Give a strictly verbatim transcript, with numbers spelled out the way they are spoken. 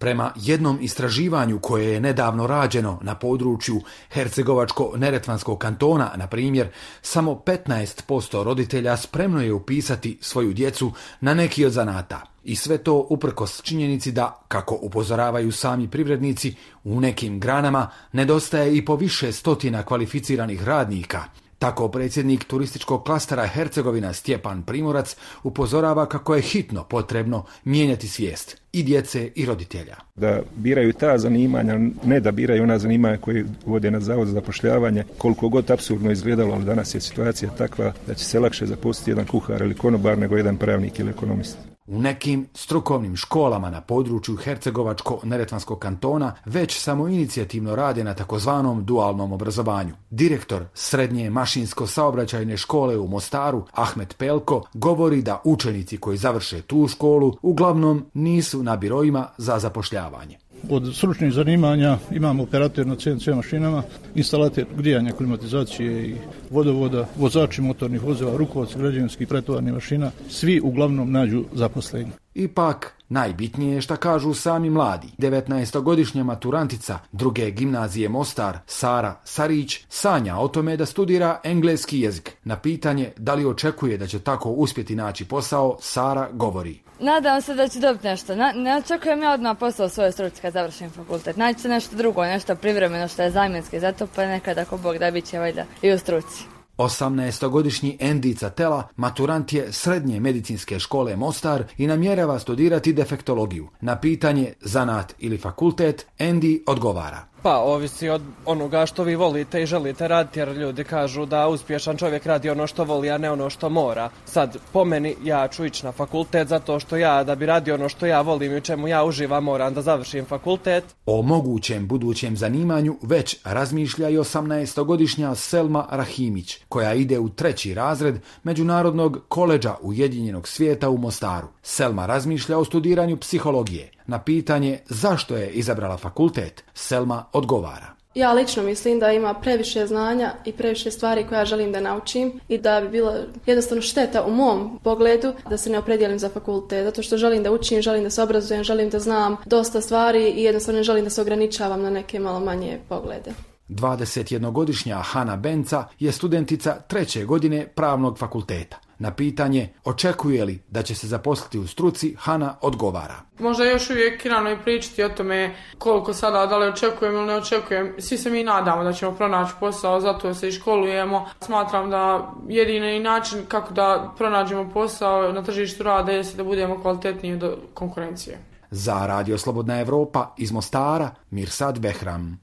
Prema jednom istraživanju koje je nedavno rađeno na području Hercegovačko-neretvanskog kantona, na primjer, samo petnaest posto roditelja spremno je upisati svoju djecu na neki od zanata. I sve to uprkos činjenici da, kako upozoravaju sami privrednici, u nekim granama nedostaje i po više stotina kvalificiranih radnika. Tako predsjednik turističkog klastera Hercegovina Stjepan Primorac upozorava kako je hitno potrebno mijenjati svijest i djece i roditelja. Da biraju ta zanimanja, ne da biraju ona zanimanja koje vode na Zavod za zapošljavanje, koliko god apsurdno izgledalo, ali danas je situacija takva da će se lakše zaposliti jedan kuhar ili konobar nego jedan pravnik ili ekonomist. U nekim strukovnim školama na području Hercegovačko-neretvanskog kantona već samoinicijativno rade na takozvanom dualnom obrazovanju. Direktor srednje mašinsko-saobraćajne škole u Mostaru, Ahmet Pelko, govori da učenici koji završe tu školu uglavnom nisu na biroima za zapošljavanje. Od stručnih zanimanja imamo operator na C N C mašinama, instalator grijanja, klimatizacije i vodovoda, vozači motornih vozila, rukovodci građevinskih pretovarnih mašina, svi uglavnom nađu zaposlenje. Ipak, najbitnije je šta kažu sami mladi. devetnaestogodišnja maturantica druge gimnazije Mostar, Sara Sarić, sanja o tome da studira engleski jezik. Na pitanje da li očekuje da će tako uspjeti naći posao, Sara govori. Nadam se da ću dobiti nešto. Na, ne očekujem ja odmah posao u svojoj struci kad završim fakultet. Naći se nešto drugo, nešto privremeno što je zamjenski. Zato pa nekad ako Bog da bit će valjda i u struci. osamnaestogodišnji Endica Tela maturant je srednje medicinske škole Mostar i namjerava studirati defektologiju. Na pitanje zanat ili fakultet, Endi odgovara. Pa, ovisi od onoga što vi volite i želite raditi, jer ljudi kažu da uspješan čovjek radi ono što voli, a ne ono što mora. Sad, po meni, ja ću ići na fakultet zato što ja, da bi radio ono što ja volim i u čemu ja uživam, moram da završim fakultet. O mogućem budućem zanimanju već razmišlja i osamnaestogodišnja Selma Rahimić, koja ide u treći razred Međunarodnog koledža Ujedinjenog svijeta u Mostaru. Selma razmišlja o studiranju psihologije. Na pitanje zašto je izabrala fakultet, Selma odgovara. Ja lično mislim da ima previše znanja i previše stvari koje ja želim da naučim i da bi bilo jednostavno šteta u mom pogledu da se ne opredijelim za fakultet, zato što želim da učim, želim da se obrazujem, želim da znam dosta stvari i jednostavno želim da se ograničavam na neke malo manje poglede. dvadesetjednogodišnja Hana Benca je studentica treće godine pravnog fakulteta. Na pitanje očekuje li da će se zaposliti u struci, Hana odgovara. Možda još uvijek rano i pričati o tome koliko sada, da li očekujem ili ne očekujem. Svi se mi nadamo da ćemo pronaći posao, zato se i školujemo. Smatram da jedini način kako da pronađemo posao na tržištu rada je da budemo kvalitetniji do konkurencije. Za Radio Slobodna Evropa iz Mostara, Mirsad Behram.